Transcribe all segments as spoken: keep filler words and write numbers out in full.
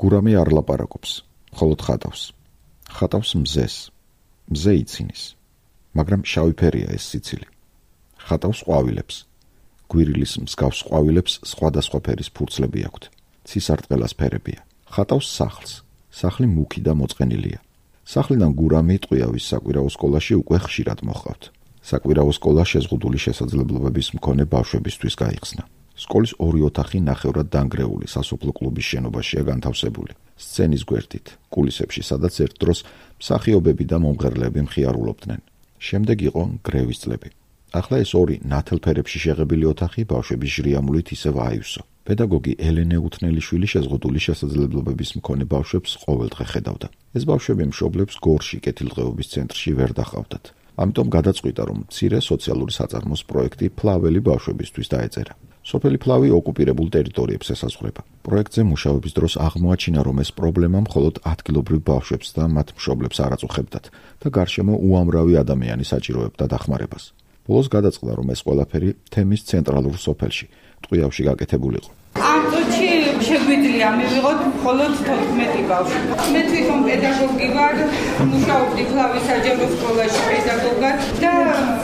გურამი არ ლაპარაკობს, მხოლოდ ხატავს. ხატავს მზეს. მზე იცინის. მაგრამ შავი ფერია ეს სიცილი. ხატავს ყვავილებს. გვირილის მსგავს ყვავილებს სხვადასხვა ფერის ფურცლები აქვთ. ცისარტყელას ფერებია. ხატავს სახლს. სახლი მუქი და მოწყენილია. სახლიდან გურამი ტყვიავის საკვირაო სკოლაში უკვე ხშირად მოჰყავთ. საკვირაო სკოლა შეზღუდული შესაძლებლობების მქონე ბავშვებისთვის გაიხსნა. სკოლის ორი ოთახი ნახევრად დანგრეული სასოფლო კლუბის შენობაშია განთავსებული. სცენის გვერდით, კულისებში, სადაც ერთ დროს მსახიობები და მომღერლები მხიარულობდნენ. შემდეგ იყო გრევის წლები. ახლა ეს ორი ნათელფერებში შეღებილი ოთახი ბავშვების ჟრიამულით ისევ აივსო. პედაგოგი ელენე უთნელიშვილი შეზღუდული შესაძლებლობების მქონე ბავშვებს ყოველდღე ხედავდა. ეს ბავშვები მშობლებს გორში კეთილდღეობის ცენტრში ვერ დახავდათ. ამიტომ გადაწყვიტა, რომ მცირე სოციალური საწარმოს პროექტი ფლაველი ბავშვებისთვის დაეწერა. სოფელი ფლავი ოკუპირებულ ტერიტორიებს ესაზღვრება. პროექტზე მუშაობის დროს აღმოაჩინა, რომ ეს პრობლემა მხოლოდ ადგილობრივ ბავშვებს და მათ მშობლებს არ აწუხებდათ და გარშემო უამრავი ადამიანი საჭიროებდა დახმარებას. ბოლოს გადაწყდა, რომ ეს ყველაფერი თემის ცენტრალურ სოფელში, ტყვიავში გაკეთებულიყო. ამ წუთში შეგვიძლია მივიღოთ მხოლოდ თოთხმეტი ბავშვი. მე თვითონ პედაგოგი ვარ, მუშაობდი ფლავის საჯარო სკოლაში პედაგოგად და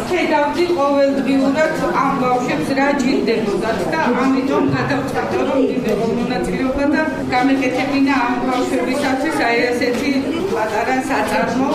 ხედავდი ყოველდღიურად ამ ბავშვებს რა ჭირდებოდათ და ამიტომ გადავწყვიტე, რომ მივიღო მონაწილეობა და გამეკეთებინა ამ ბავშვებისათვის აი ესეთი პატარა საწარმო.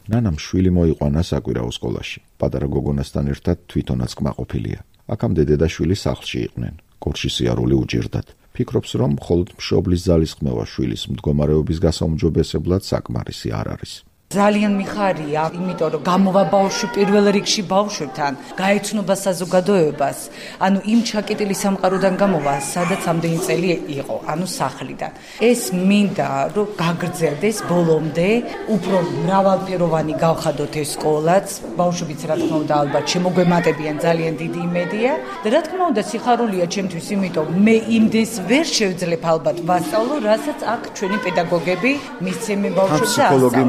ნანამ შვილი მოიყვანა საკვირაო სკოლაში. პატარა გოგონასთან ერთად თვითონაც კმაყოფილია. აქამდე დედა შვილი სახლში იყვნენ. გორში სიარული უჭირდათ. ფიქრობს, რომ მხოლოდ მშობლის ძალისხმევა შვილის მდგომარეობის გასაუმჯობესებლად საკმარისი არ არის. ძალიან მიხარია, იმიტომ რომ გამოვა ბავშვი პირველ რიგში ბავშვებთან, გაეცნობა საზოგადოებას, ანუ იმ ჩაკეტილი სამყაროდან გამოვა, სადაც ამდენი წელი იყო, ანუ სახლიდან. ეს მინდა, რომ გაგრძელდეს ბოლომდე, უფრო მრავალფეროვანი გავხადოთ ეს სკოლაც, ბავშვებიც რა თქმა უნდა ალბათ შემოგვემატებიან, ძალიან დიდი იმედია და რა თქმა უნდა სიხარულია ჩემთვის, იმიტომ მე იმდეს ვერ შევძლებ ალბათ ვასწავლო, რასაც აქ ჩვენი პედაგოგები მისცემენ ბავშვებს და ფსიქოლოგი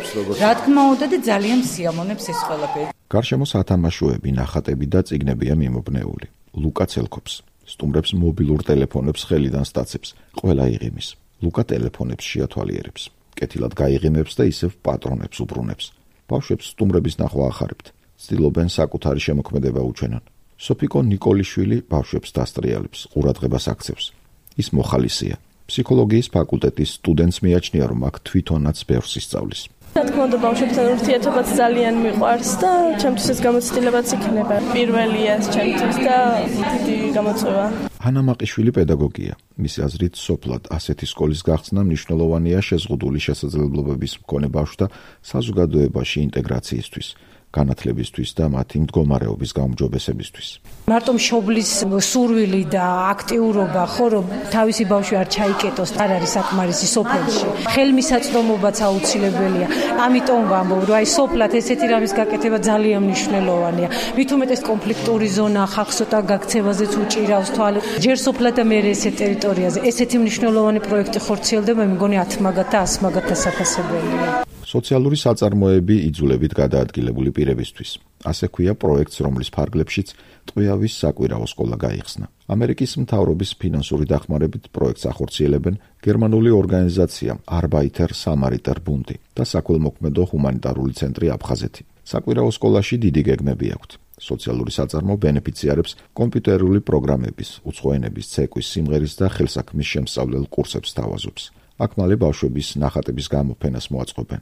რა თქმა უნდა და ძალიან სიამოვნებს ეს ყველაფერი. გარშემო სათამაშოები, ნახატები და წიგნებია მიმობნეული. ლუკა ცელქობს. სტუმრებს მობილურ ტელეფონებს ხელიდან სტაცებს. ყველა იღიმის. ლუკა ტელეფონებს შეათვალიერებს. კეთილად გაიღიმებს და ისევ პატრონებს უბრუნებს. ბავშვებს სტუმრების ნახვა ახარებთ. ცდილობენ საკუთარი შემოქმედება უჩვენონ. სოფიკო ნიკოლიშვილი ბავშვებს დასტრიალებს, ყურადღებას აქცევს. ის მოხალისეა. ფსიქოლოგიის ფაკულტეტის სტუდენტს მიაჩნია, რომ აქ თვითონაც ბევრს ისწავლის. რა თქმა უნდა ბავშვებთან ურთიერთობაც ძალიან მიყვარს და ჩემთვის ეს გამოცდილებაც იქნება. პირველია ეს ჩემთვის და დიდი გამოწვევა. ჰანა მაყიშვილი პედაგოგია. მისი აზრით, სოფლად ასეთი სკოლის გახსნა მნიშვნელოვანია შეზღუდული შესაძლებლობების მქონე ბავშვთა საზოგადოებაში ინტეგრაციისთვის, განათლებისთვის და მათი მდგომარეობის გაუმჯობესებისთვის. მარტო მშობლის სურვილი და აქტიურობა, ხო რომ თავისი ბავშვი არ ჩაიკეტოს, არ არის საკმარისი სოფელში. ხელმისაწვდომობაც აუცილებელია. ამიტომ ვამბობ, რომ აი სოფლად ესეთი რამის გაკეთება ძალიან მნიშვნელოვანია. მით უმეტეს კონფლიქტური ზონა ხალხს ცოტა გაქცევაზეც უჭირავს თვალი. ჯერ სოფლად და მერე ესეთ ტერიტორიაზე ესეთი მნიშვნელოვანი პროექტი ხორციელდება, მე მგონი ათ მაგათ და ას მაგათ დასაფასებელია. სოციალური საწარმოები იძულებით გადაადგილებული პირებისთვის. ასე ქვია პროექტს, რომლის ფარგლებშიც ტყვიავის საკვირაო სკოლა გაიხსნა. ამერიკის მთავრობის ფინანსური დახმარებით პროექტს ახორციელებენ გერმანული ორგანიზაცია Arbeiter Samariter Bund და საქველმოქმედო ჰუმანიტარული ცენტრი აფხაზეთი. საკვირაო სკოლაში დიდი გეგმები აქვთ. სოციალური საწარმო ბენეფიციარებს კომპიუტერული პროგრამების, უცხოენების, ცეკვის, სიმღერის და ხელსაქმის შემსწავლელ კურსებს თავაზობს. აქ მალე ბავშვების ნახატების გამოფენას მოაწყობენ.